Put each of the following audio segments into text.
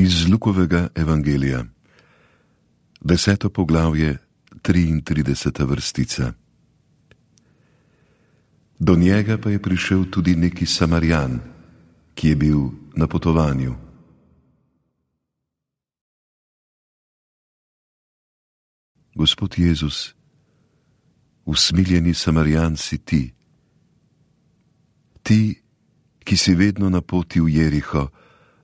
Iz Lukovega evangelija, 10. poglavje, 33. vrstica. Do njega pa je prišel tudi neki Samarjan, ki je bil na potovanju. Gospod Jezus, usmiljeni Samarjan si ti. Ti, ki si vedno na poti v Jeriho,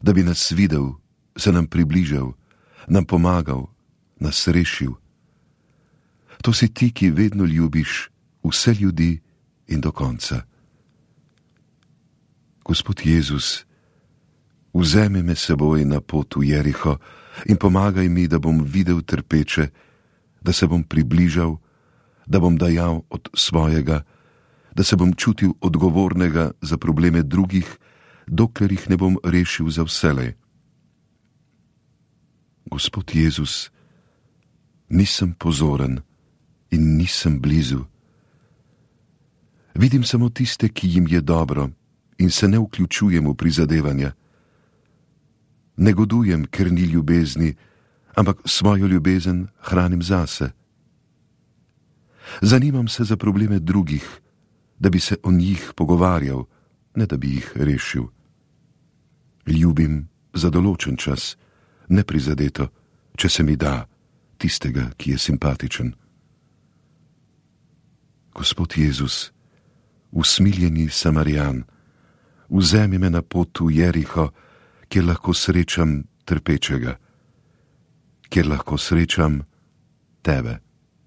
da bi nas videl, se nam približal, nam pomagal, nas rešil. To si ti, ki vedno ljubiš vse ljudi in do konca. Gospod Jezus, vzemi me seboj na pot v Jeriho in pomagaj mi, da bom videl trpeče, da se bom približal, da bom dajal od svojega, da se bom čutil odgovornega za probleme drugih, dokler jih ne bom rešil za vselej. Gospod Jezus, nisem pozoren in nisem blizu. Vidim samo tiste, ki jim je dobro, in se ne vključujem v prizadevanja. Negodujem, ker ni ljubezni, ampak svojo ljubezen hranim zase. Zanimam se za probleme drugih, da bi se o njih pogovarjal, ne da bi jih rešil. Ljubim za določen čas, neprizadeto, če se mi da, tistega, ki je simpatičen. Gospod Jezus, usmiljeni Samarjan, vzemi me na pot v Jeriho, kjer lahko srečam trpečega, kjer lahko srečam tebe.